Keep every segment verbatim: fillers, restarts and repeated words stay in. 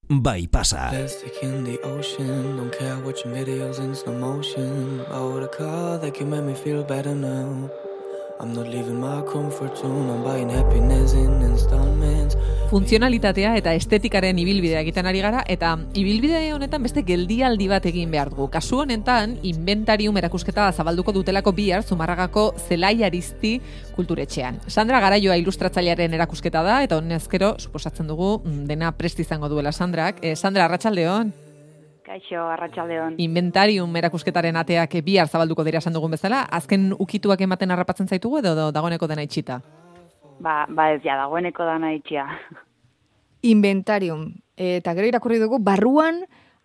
bai pasa. Plastic in the ocean, don't care watching videos in slow motion. Bought a car that can make me feel better now. I'm not leaving my comfort zone, I'm buying happiness in installments. Funtzionalitatea eta estetikaren ibilbidea egiten ari gara, eta ibilbide honetan beste geldialdi bat egin behar dugu. Kasu honetan, inventarium erakusketa zabalduko dutelako bihar Zumarragako Zelai Aristi kulturetxean. Sandra Garaioa ilustratzailearen erakusketa da, eta honezkero, suposatzen dugu, dena prest izango duela Sandrak. Eh, Sandra, arratsaldeon. Kaixo, arratsaldeon. Inventarium erakusketaren ateak bihar zabalduko dira esan dugun bezala, azken ukituak ematen harrapatzen zaitugu edo dagoeneko dena itxita? Ba, ba ez ja, dagoeneko dana itxia. Inventarium, eta gero irakurri dugu, barruan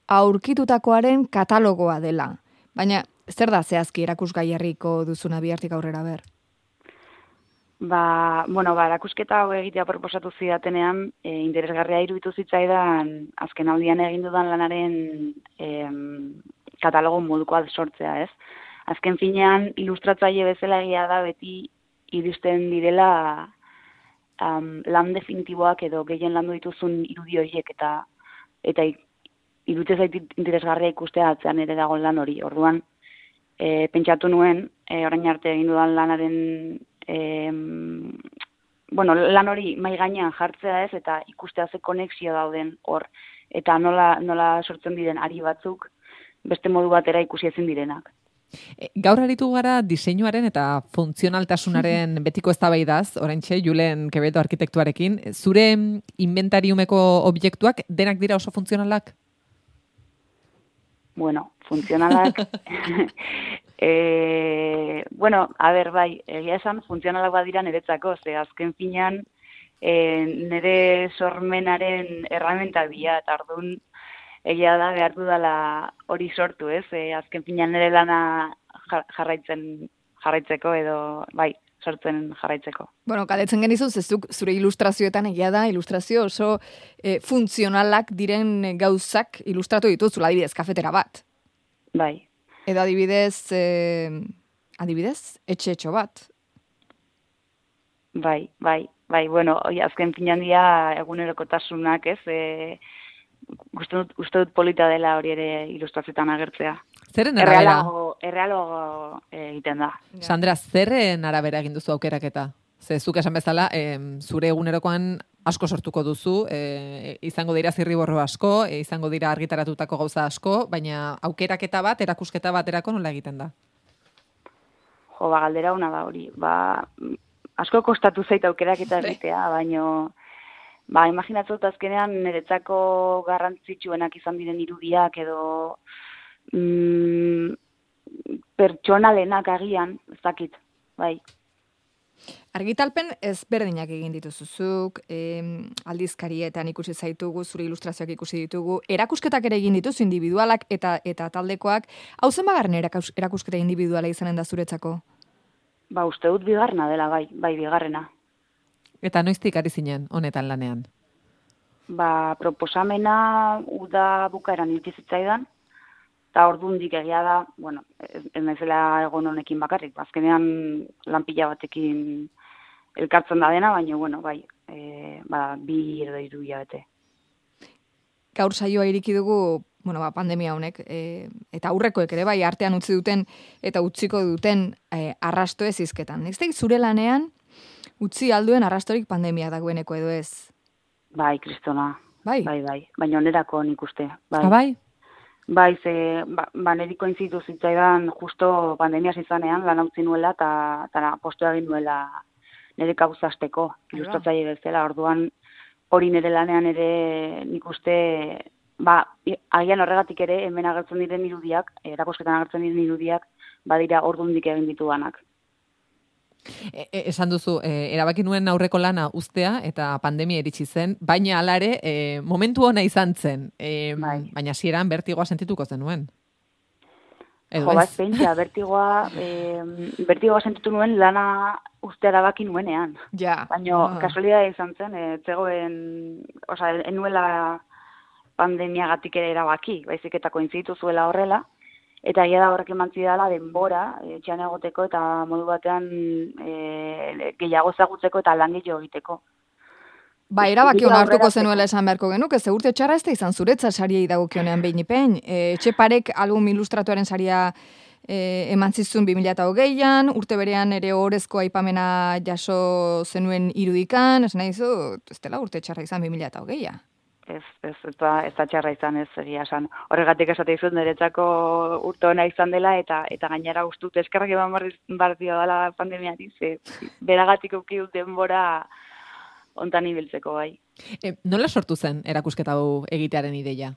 aurkitutakoaren katalogoa dela. Baina, zer da zehazki erakusgai herriko duzuna bihartik aurrera ber? Ba, bueno, ba, erakusketa hau egitea proposatu zidatenean, e, interesgarria iruditu zitzaidan, azken aldian egin dudan lanaren e, katalogo modukoa sortzea, ez? Azken finean, ilustratzaile bezala egia da beti iristen direla um, lan definitiboak edo gehien landu dituzun irudi horiek eta eta iruditzen zait interesgarria ikustea atzean ere dago lan hori. Orduan, e, pentsatu nuen, e, orain arte egin dudan lanaren E, bueno, lan hori mai gainean jartzea ez, eta ikustea ze konexio dauden hor, eta nola, nola sortzen diren ari batzuk, beste modu batera ikusi ezin direnak. Gaur aritu gara diseinuaren eta funtzionaltasunaren betiko eztabaidaz, oraintxe Julen Quevedo arkitektuarekin. Zure inventariumeko objektuak denak dira oso funtzionalak? Bueno, funtzionalak... E, bueno, a ber, bai, egia esan funtzionalak badira niretzako, ze azken finean e, nire sormenaren erramenta bila, eta orduan egia da behar dudala hori sortu, ez? E, azken finean nire lana jarraitzen jarraitzeko edo, bai, sortzen jarraitzeko. Bueno, galdetzen genizu, zezuk zure ilustrazioetan egia da, ilustrazio oso e, funtzionalak diren gauzak ilustratu dituzula, adibidez, kafetera bat. Bai. Edo adibidez, eh, adibidez, etxe-etxo bat. Bai, bai, bai, bueno, oi, azken finean dira egunerokotasunak, ez? E, uste dut, uste dut polita dela hori ere ilustrazioetan agertzea. Zerren arabera? Errealago egiten da. Sandra, zerren arabera egin duzu aukeraketa? Ze zuk esan bezala, e, zure egunerokoan asko sortuko duzu, e, izango dira zirriborro asko, e, izango dira argitaratutako gauza asko, baina aukeraketa bat, erakusketa baterako nola egiten da? Jo, ba, galdera una da hori. Ba, asko kostatu zait aukeraketa egitea, baina ba, imaginatzot azkenean niretzako garrantzitsuenak izan diren irudiak edo mm, pertsonalenak agian, ez dakit, bai. Argitalpen ezberdinak egin dituzuzuk, eh, aldizkarietan ikusi zaitugu, zure ilustrazioak ikusi ditugu, erakusketak ere egin dituzu individualak eta eta taldekoak. Hau zenbagarren erakus, erakusketa individuala izanen da zuretzako? Ba, uste dut bigarrena dela, bai, bai bigarrena. Eta noiztik ari zinen honetan lanean? Ba, proposamena uda bukaeran irki zitzaidan, eta ordundik egia da, bueno, ez, ez naizela egon honekin bakarrik, azkenean lanpila batekin elkartzen da dena, baina, bueno, bai, e, ba, bi edo hiru hilabete. Gaur saioa iriki dugu, bueno, ba, pandemia honek, e, eta aurrekoek ere bai artean utzi duten eta utziko duten e, arrasto ez izketan. Ez da, zure lanean utzi alduen arrastorik pandemia dagoeneko edo ez? Bai, kristona. Bai? Bai, bai. Baina onerako nik uste. Bai. Ha, bai? Bai, ze, ba, ba neriko inzitu zitzaidan justo pandemia zizanean lan utzi nuela eta postua egin nuela nire kauzasteko, ilustratzaile bezala. Orduan hori nire lanean ere nik uste, ba, agian horregatik ere hemen agertzen diren irudiak, erakusketan agertzen diren irudiak, badira ordundik egin ditudanak. E, e, esan duzu, e, erabaki nuen aurreko lana uztea eta pandemia iritsi zen, baina hala ere e, momentu ona izan zen, e, bai. Baina hasieran bertigoa sentituko zenuen. Jo, bat pentsa, bertigoa, e, bertigoa sentitu nuen lana uztea erabaki nuenean. Ja. Baina ah. kasualidadea izan zen, e, zegoen, osea, enuela pandemiagatik ere erabaki, baizik eta kointzitu zuela horrela, eta egia da horrek emantzi dela denbora, etxean egoteko eta modu batean e, gehiago zagutzeko eta lan gehiago egiteko. Ba, erabaki hona hartuko zenuela esan beharko genuke, ze urte txarra ez da izan zuretza sariei dagokionean behin ipein. E, Etxeparek album ilustratuaren saria e, eman zizun bi mila hogeian, urte berean ere orezko aipamena jaso zenuen irudikan, ez nahi zu, ez dela urte txarra izan bi mila hogeia. Ez, ez, ez da, ez da txarra izan ez egia esan. Horregatik esate izut niretzako urte ona izan dela eta eta gainera gustut eskerrak eman bar dio dela pandemiari, ze beragatik uki dut denbora ontan ibiltzeko bai. E, nola sortu zen erakusketa hau egitearen ideia?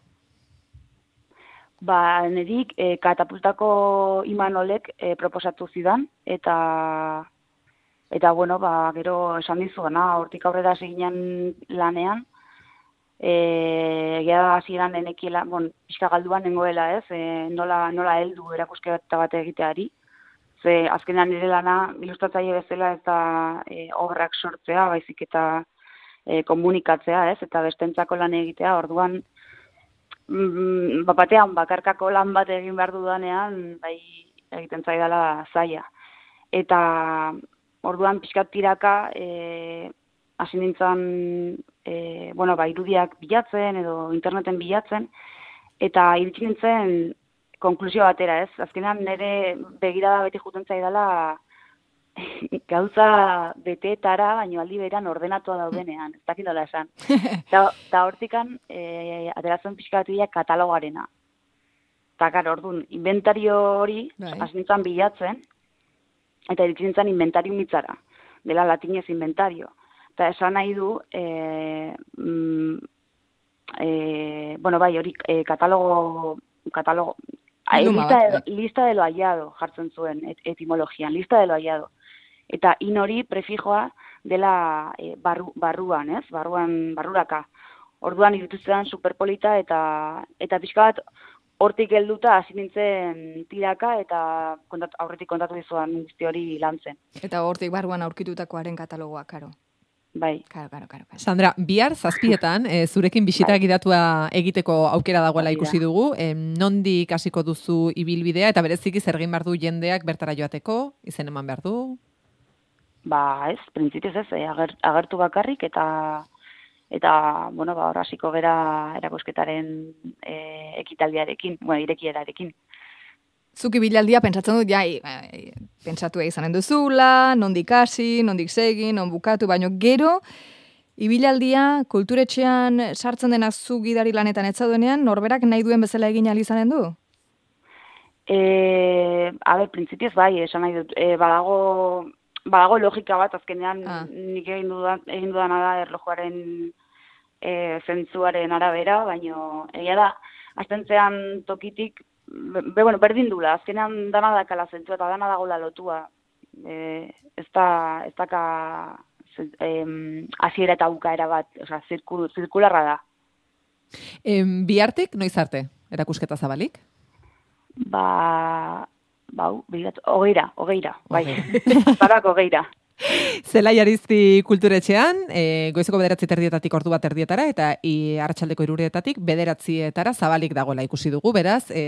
Ba, nedik e, katapultako Imanolek e, proposatu zidan eta eta bueno, ba, gero esan dizugana, hortik aurrera seginan lanean. Eh, ja hasieran enekiela, bon, pixka galduan nengoela, ez? E, nola nola heldu erakusketa bat egiteari. Ze azkenean nire lana ilustratzaile bezala ez da e, obrak sortzea, baizik eta e, komunikatzea, ez? Eta bestentzako lan egitea. Orduan mm, batean bakarkako lan bat egin behar dudanean, bai egiten zaidala zaila. Eta orduan pixkat tiraka eh hasi nintzen, e, bueno, ba, irudiak bilatzen edo interneten bilatzen, eta iritsi nintzen konklusio batera, ez? Azkenean nire begirada beti juten zaidala gauza beteetara, baino aldi beran ordenatua daudenean, ez dakit nola esan. Eta hortikan, e, ateratzen pixka bat katalogarena. Eta, gara, orduan, inventario hori, hasi nintzen bilatzen, eta iritsi nintzen inventario mitzara, dela latinez inventario. Eta esan nahi du, e, mm, e, bueno, bai, hori e, katalogo, katalogo, e, lista, de, lista de lo hallado jartzen zuen et, etimologian, lista de lo hallado. Eta in hori prefijoa dela e, barru, barruan, ez? Barruan, barruraka. Orduan irutuztean superpolita eta eta pixka bat hortik helduta hasi nintzen tiraka eta kontat, aurretik kontatu dizuan guzti hori lantzen. Eta hortik barruan aurkitutakoaren katalogoa, karo. Bai. Karo, karo, karo. Sandra, bihar zazpietan, e, zurekin bisita bai. Gidatua egiteko aukera dagoela ikusi dugu. E, nondik hasiko duzu ibilbidea eta bereziki zer egin behar du jendeak bertara joateko, izen eman behar du? Ba, ez, printzipioz ez, eh, ager, agertu bakarrik eta eta, bueno, ba, hor hasiko gera erakusketaren e, ekitaldiarekin, bueno, irekierarekin. Zuki bilaldia pentsatzen dut, ja, e, pentsatu izanen duzula, nondik hasi, nondik segi, non bukatu, baino gero, ibilaldia kulturetxean sartzen denak zu gidari lanetan etzaduenean, norberak nahi duen bezala egin ahal izanen du? E, a ber, printzipioz bai, esan nahi dut, e, badago, badago logika bat, azkenean ah. nik egin dudan, egin dudana da erlojuaren e, zentzuaren arabera, baino egia da, aztentzean tokitik, Be, bueno, berdin dula, azkenean dana dakala zentua eta dana dagoela lotua. E, ez da, ez daka hasiera eta bukaera bat, osea, zirkul, zirkularra da. E, bihartik, noiz arte, erakusketa zabalik? Ba, bau, begiratu, hogeira, hogeira, bai, zarako hogeira. Zelai Arizti kulturetxean, e, goizeko bederatzi terdietatik ordu bat terdietara, eta i, arratsaldeko irureetatik bederatzietara zabalik dagoela ikusi dugu, beraz, e,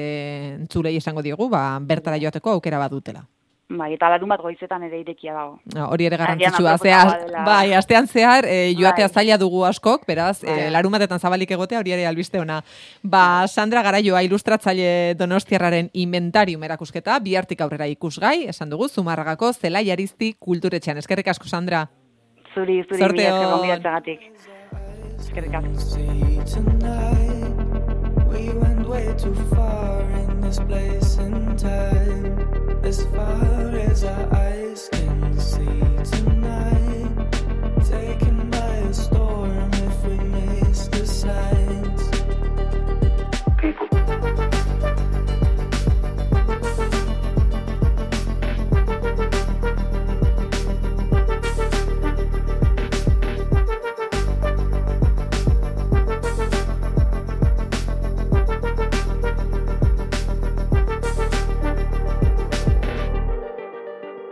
entzulei esango diogu, ba, bertara joateko aukera bat dutela. Bai, eta larun bat goizetan ere irekia dago. No, hori ere garrantzitsua, zehar, bai, astean zehar, e, joatea bai. Zaila dugu askok, beraz, bai. e, larun batetan zabalik egotea, hori ere albiste ona. Ba, Sandra Garaioa ilustratzaile Donostiarraren inventarium erakusketa, bihartik aurrera ikusgai, esan dugu, Zumarragako Zelai Arizti kulturetxean. Eskerrik asko, Sandra. Zuri, zuri, Sorteo. mila esker gonbidatzagatik. Eskerrik asko.